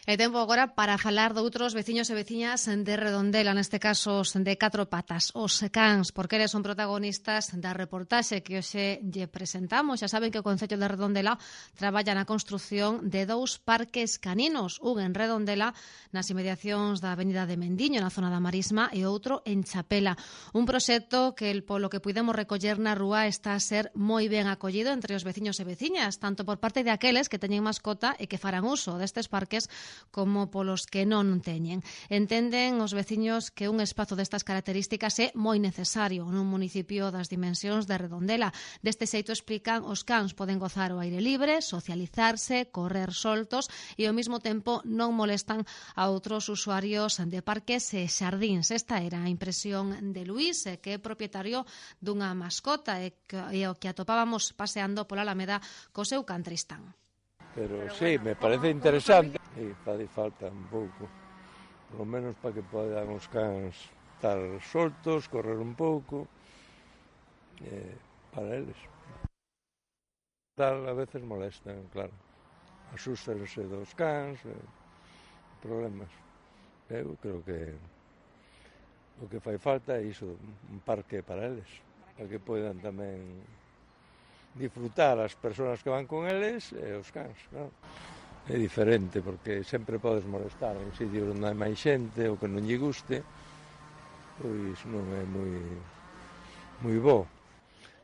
E tempo agora para falar de outros veciños e veciñas de Redondela, neste caso os de catro patas, os cans, porque eles son protagonistas da reportaxe que hoxe lle presentamos. Xa saben que o Concello de Redondela traballa na construción de 2 parques caninos, un en Redondela, nas inmediacións da Avenida de Mendiño, na zona da Marisma, e outro en Chapela. Un proxecto que, polo que puidemos recoller na rúa, está a ser moi ben acollido entre os veciños e veciñas, tanto por parte de aqueles que teñen mascota e que farán uso destes parques como polos que non teñen. Entenden os veciños que un espazo destas características é moi necesario nun municipio das dimensións de Redondela. Deste xeito, explican, os cans poden gozar ao aire libre, socializarse, correr soltos e ao mesmo tempo non molestan a outros usuarios de parques e xardíns. Esta era a impresión de Luís, que é propietario dunha mascota e o que atopábamos paseando pola Alameda co seu can Tristán. Pero sí, me parece interesante e fai falta un pouco, polo menos para que podan os cans estar soltos, correr un pouco, para eles. Tal, a veces molestan, claro, asústanse dos cans, problemas. Eu creo que o que fai falta é iso, un parque para eles, para que podan tamén disfrutar as persoas que van con eles e os cans, claro. É diferente porque sempre podes molestar en sitios onde hai máis xente ou que non lle guste, pois non é moi bo.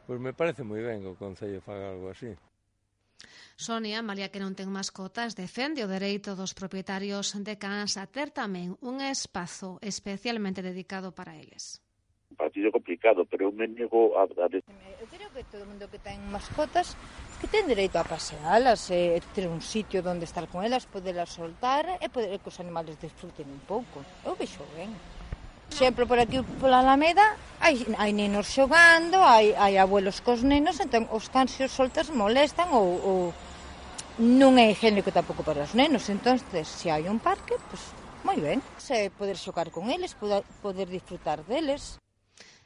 Pois me parece moi ben que o Concello faga algo así. Sonia, malia que non ten mascotas, defende o dereito dos propietarios de cans a ter tamén un espazo especialmente dedicado para eles. Un partido complicado, pero eu me nego a... Eu creo que todo mundo que ten mascotas que ten dereito a pasealas, ter un sitio onde estar con elas, podelas soltar e poder que os animales desfruten un pouco. Eu vexo ben. Sempre por aquí, pola Alameda, hai nenos xogando, hai abuelos cos nenos, entón os cans e os soltas molestan ou non é higiénico tampouco para os nenos. Entón, se hai un parque, pois moi ben. Se poder xogar con eles, poder disfrutar deles.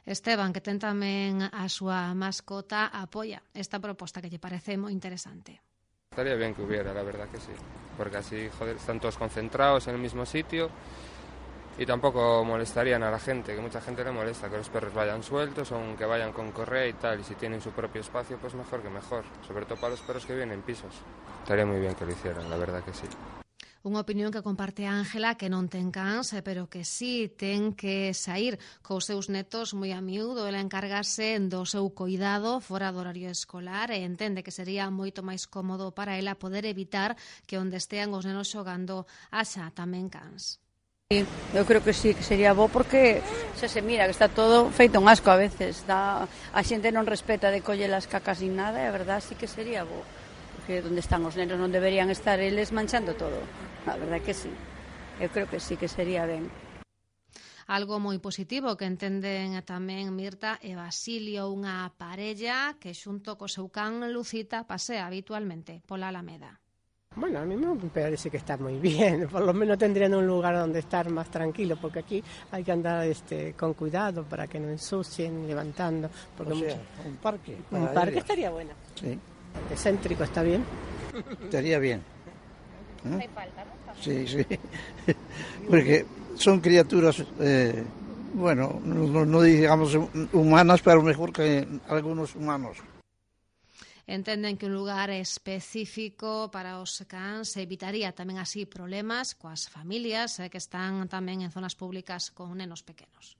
Esteban, que ten tamén a súa mascota, apoia esta proposta que lle parece moi interesante. Estaría bien que hubiera, la verdad que sí, porque así, joder, están todos concentrados en el mismo sitio y tampoco molestarían a la gente, que mucha gente le molesta que los perros vayan sueltos o que vayan con correa y tal, y si tienen su propio espacio, pues mejor que mejor, sobre todo para los perros que viven en pisos. Estaría muy bien que lo hicieran, la verdad que sí. Unha opinión que comparte Ángela, que non ten cans, pero que sí ten que sair cos seus netos moi a miúdo. Ela encargase do seu cuidado fora do horario escolar e entende que sería moito máis cómodo para ela poder evitar que onde estean os nenos xogando haxa tamén cans. Eu creo que sí, que sería bo porque se mira que está todo feito un asco a veces. A xente non respeta de coller as cacas nin nada e a verdad sí que sería bo. Porque onde están os nenos non deberían estar eles manchando todo. A verdade que sí. Eu creo que sí que sería ben. Algo moi positivo que entenden tamén Mirta e Basilio, unha parella que xunto co seu can Lucita pasea habitualmente pola Alameda. Bueno, a mí me parece que está muy bien, por lo menos tendrían un lugar donde estar más tranquilo, porque aquí hay que andar con cuidado para que no ensucien, levantando. Porque o sea, un parque. Un parque estaría bueno. Sí. Céntrico, ¿está bien? Estaría bien. ¿Eh? Hay falta, ¿no? Sí, sí. Porque son criaturas, bueno, no digamos humanas, pero mejor que algunos humanos. Entenden que un lugar específico para os cans evitaría tamén así problemas coas familias que están tamén en zonas públicas con nenos pequenos.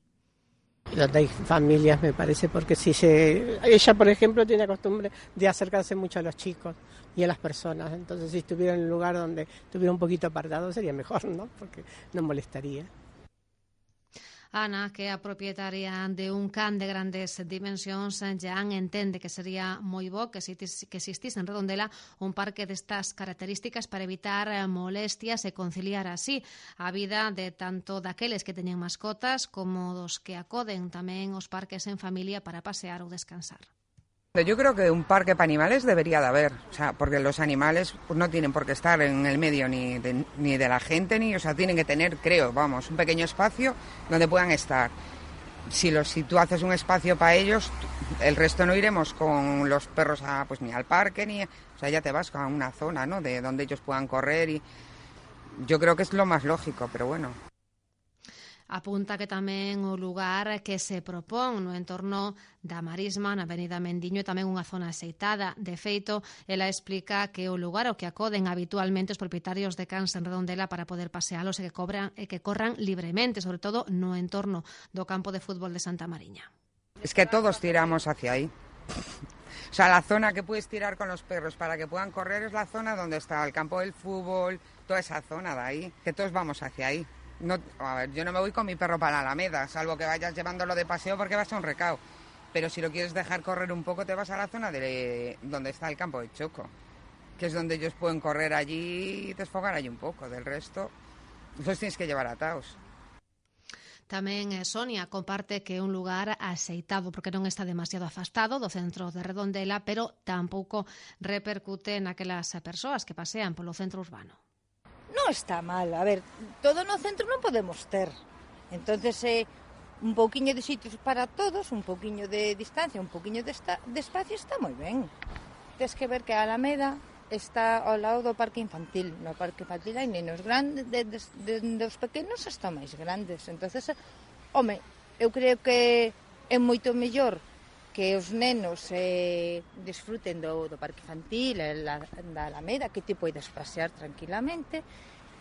Donde hay familias, me parece, porque ella, por ejemplo, tiene costumbre de acercarse mucho a los chicos y a las personas. Entonces, si estuviera en un lugar donde estuviera un poquito apartado, sería mejor, ¿no? Porque no molestaría. Ana, que é a propietaria de un can de grandes dimensións, ya entende que sería moi bo que existise en Redondela un parque destas características para evitar molestias e conciliar así a vida de tanto daqueles que teñen mascotas como dos que acoden tamén os parques en familia para pasear ou descansar. Yo creo que un parque para animales debería de haber, o sea, porque los animales pues, no tienen por qué estar en el medio ni de la gente, o sea, tienen que tener, creo, vamos, un pequeño espacio donde puedan estar. Si tú haces un espacio para ellos, el resto no iremos con los perros ni al parque, o sea, ya te vas a una zona, ¿no?, de donde ellos puedan correr Yo creo que es lo más lógico, pero bueno. Apunta que tamén o lugar que se propón no entorno da Marisma, na Avenida Mendiño, é tamén unha zona axeitada. De feito, ela explica que o lugar ao que acoden habitualmente os propietarios de cans en Redondela para poder pasealos e que corran libremente, sobre todo no entorno do campo de fútbol de Santa Mariña. Es que todos tiramos hacia ahí. O sea, la zona que puedes tirar con los perros para que puedan correr es la zona donde está el campo del fútbol, toda esa zona de ahí, que todos vamos hacia ahí. No, a ver, yo no me voy con mi perro para la Alameda, salvo que vayas llevándolo de paseo porque vas a un recao. Pero si lo quieres dejar correr un poco, te vas a la zona donde está el campo de choco, que es donde ellos pueden correr allí y desfogar allí un poco. Del resto, los tienes que llevar atados. Tamén Sonia comparte que é un lugar axeitado porque non está demasiado afastado do centro de Redondela, pero tampouco repercute naquelas persoas que pasean polo centro urbano. Non está mal, a ver, todo no centro non podemos ter. Entonces, un pouquiño de sitios para todos, un pouquiño de distancia, un pouquiño de espacio está moi ben. Tens que ver que a Alameda está ao lado do parque infantil. No parque infantil hai nenos grandes, dos pequenos hasta máis grandes. Entonces, home, eu creo que é moito mellor que os nenos disfruten do parque infantil, da Alameda, que ti podes pasear tranquilamente,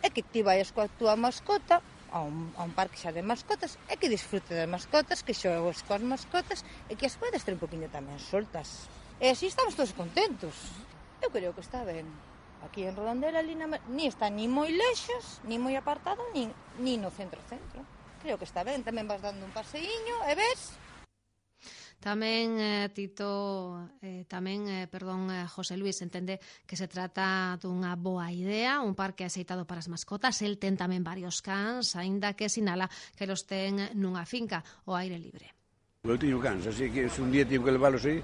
e que ti vayas coa túa mascota a un parque xa de mascotas, e que disfrute das mascotas, que xogues coas mascotas, e que as podes ter un poquinho tamén soltas. E así estamos todos contentos. Eu creo que está ben. Aquí en Redondela, ni está ni moi lexos, ni moi apartado, ni no centro. Creo que está ben, tamén vas dando un paseiño, e ves... Tamén José Luis entende que se trata dunha boa idea, un parque axeitado para as mascotas. El ten tamén varios cans, aínda que sinala que los ten nunha finca ao aire libre. Eu teño cans, así que se un día teño que leválos aí,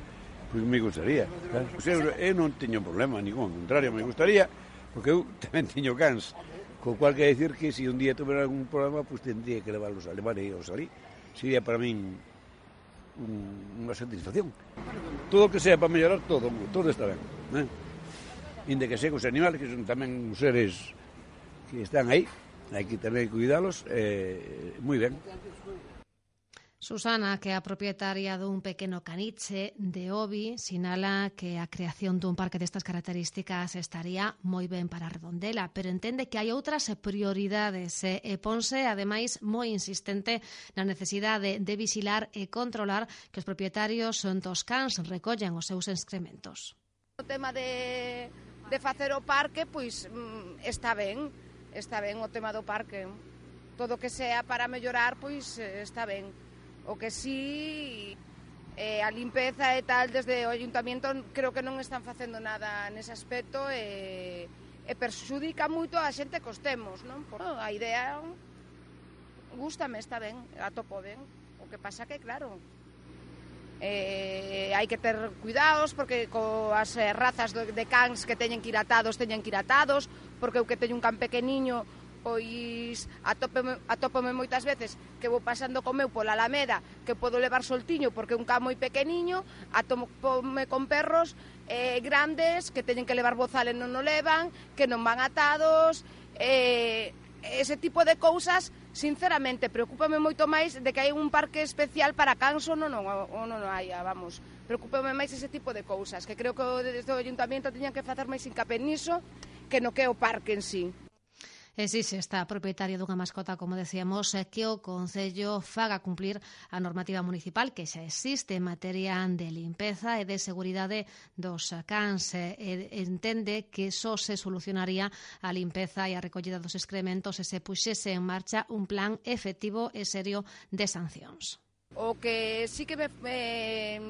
pois me gustaría. Claro. Eu non teño problema ningún, ao contrario, me gustaría, porque eu tamén teño cans. Co cual quer decir que se un día tuviera algún problema, pois tendría que levar ellos ali. Sería para min unha satisfacción. Todo o que sea para mellorar, todo está ben, Inde que sean os animales, que son tamén os seres que están aí, hai que tamén cuidalos, moi ben. Susana, que é a propietaria dun pequeno caniche de Obi, sinala que a creación dun parque destas características estaría moi ben para Redondela, pero entende que hai outras prioridades e ponse, ademais, moi insistente na necesidade de vixilar e controlar que os propietarios dos cans recollen os seus excrementos. O tema de facer o parque, pois está ben o tema do parque. Todo que sea para mellorar, pois está ben. O que sí, a limpeza e tal, desde o Ayuntamiento creo que non están facendo nada nese aspecto e perxudica moito a xente que os temos, non? A idea gústame, está ben, a topo ben. O que pasa que, claro, hai que ter cuidados porque coas razas de cans que teñen que ir atados, porque eu que teño un can pequeniño, pois atópome moitas veces que vou pasando co meu pola Alameda, que podo levar soltiño porque é un can moi pequeniño, atópome con perros grandes que teñen que levar bozal e non o levan, que non van atados, ese tipo de cousas, sinceramente, preocúpame moito máis de que hai un parque especial para cans ou non hai, vamos. Preocúpame máis ese tipo de cousas, que creo que desde o Ayuntamiento teñan que facer máis hincapié niso que no que é o parque en sí. Existe esta propietaria dunha mascota, como decíamos, que o Concello faga cumplir a normativa municipal que xa existe en materia de limpeza e de seguridade dos cans. Entende que só se solucionaría a limpeza e a recollida dos excrementos se se puxese en marcha un plan efectivo e serio de sancións. O que sí que me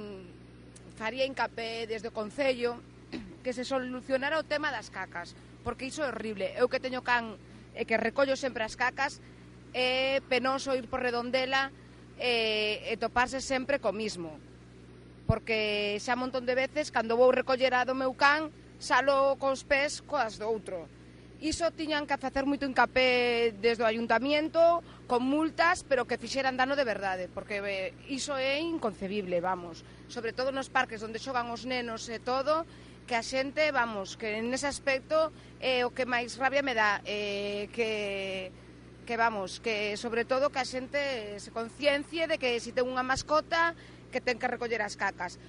faría hincapié desde o Concello que se solucionara o tema das cacas, porque iso é horrible. Eu que teño can e que recollo sempre as cacas, é penoso ir por Redondela e toparse sempre co mismo, porque xa un montón de veces cando vou recoller a do meu can salo cos pés coas do outro. Iso tiñan que facer moito hincapié desde o Ayuntamiento con multas, pero que fixeran dano de verdade, porque iso é inconcebible, vamos, sobre todo nos parques onde xogan os nenos e todo, que a xente, vamos, que nese aspecto o que máis rabia me dá, que vamos, que sobre todo que a xente se conciencie de que se ten unha mascota que ten que recoller as cacas.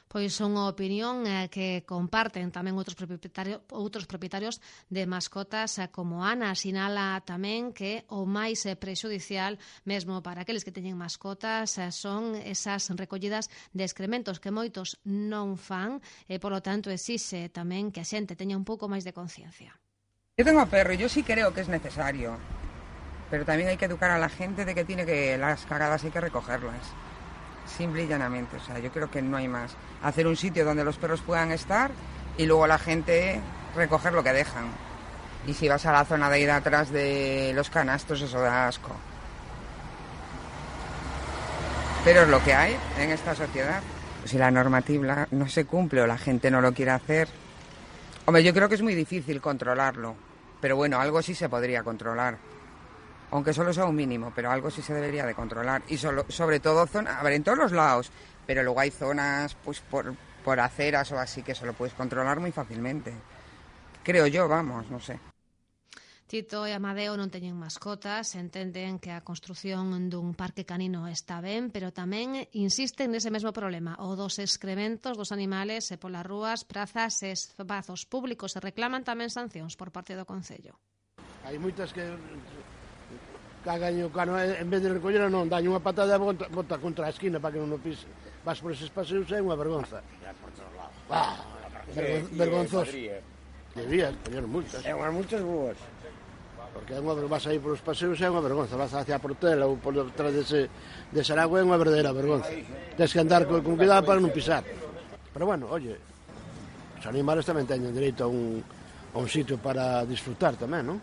Pois unha opinión que comparten tamén outros propietarios de mascotas como Ana. Sinala tamén que o máis prexudicial mesmo para aqueles que teñen mascotas son esas recollidas de excrementos que moitos non fan e, polo tanto, exixe tamén que a xente teña un pouco máis de conciencia. Yo tengo perro y yo sí creo que es necesario, pero también hay que educar a la gente de que las cagadas hay que recogerlas. Simple y llanamente, o sea, yo creo que no hay más. Hacer un sitio donde los perros puedan estar y luego la gente recoger lo que dejan. Y si vas a la zona de ahí de atrás de los canastos, eso da asco. Pero es lo que hay en esta sociedad. Si la normativa no se cumple o la gente no lo quiere hacer, hombre, yo creo que es muy difícil controlarlo, pero bueno, algo sí se podría controlar. Aunque solo sea un mínimo, pero algo sí se debería de controlar. Y sobre todo, a ver, en todos los lados, pero luego hay zonas pues por aceras o así que eso lo puedes controlar muy fácilmente. Creo yo, vamos, no sé. Tito e Amadeo non teñen mascotas, entenden que a construción dun parque canino está ben, pero tamén insisten nese mesmo problema, o dos excrementos dos animales polas rúas, prazas e espazos públicos, e reclaman tamén sancións por parte do Concello. Hai moitas que cagan o cano, en vez de recoller non, daño unha patada e bota contra a esquina para que non o pise. Vas por eses paseos é unha vergonza. Vergonzoso. Debías poñer multas. É unhas multas boas. Porque vas aí polos paseos é unha vergonza, vas hacia a Portela ou por detrás de Saragua é unha verdadeira vergonza. Tens que andar con cuidado para non pisar. Pero bueno, oye, os animales tamén teñen dereito a un sitio para disfrutar tamén, non?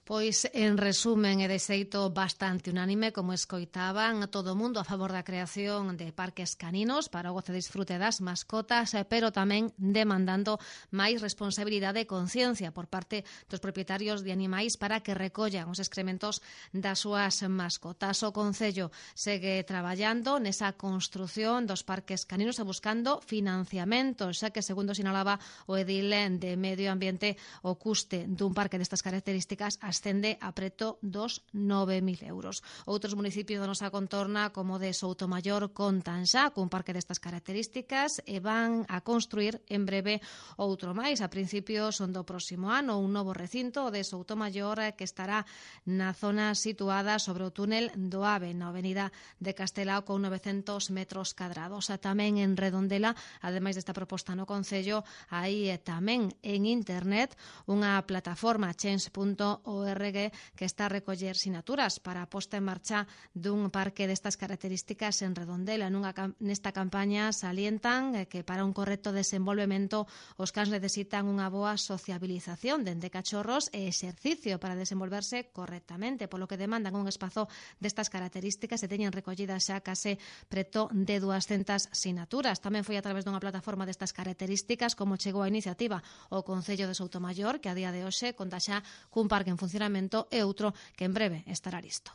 Pois, en resumen, e de xeito bastante unánime, como escoitaban, todo o mundo a favor da creación de parques caninos para o goce e disfrute das mascotas, pero tamén demandando máis responsabilidade e conciencia por parte dos propietarios de animais para que recollan os excrementos das súas mascotas. O Concello segue traballando nesa construción dos parques caninos e buscando financiamentos, xa que, segundo sinalaba o edil de Medio Ambiente, o custe dun parque destas características ascende a preto dos 9.000 euros. Outros municipios da nosa contorna, como de Soutomaior, contan xa cun parque destas características e van a construir en breve outro máis. A principios do próximo ano, un novo recinto de Soutomaior que estará na zona situada sobre o túnel do Ave, na avenida de Castelao, con 900 metros cadrados. Tamén en Redondela, ademais desta proposta no Concello, hai tamén en internet unha plataforma change.org que está a recoller sinaturas para a posta en marcha dun parque destas características en Redondela. Nesta campaña salientan que para un correcto desenvolvemento os cans necesitan unha boa sociabilización dende cachorros e exercicio para desenvolverse correctamente, polo que demandan un espazo destas características e teñen recollidas xa case preto de 200 sinaturas. Tamén foi a través dunha plataforma destas características como chegou a iniciativa o Concello de Soutomaior, que a día de hoxe conta xa cun parque en funcionamento e outro que en breve estará listo.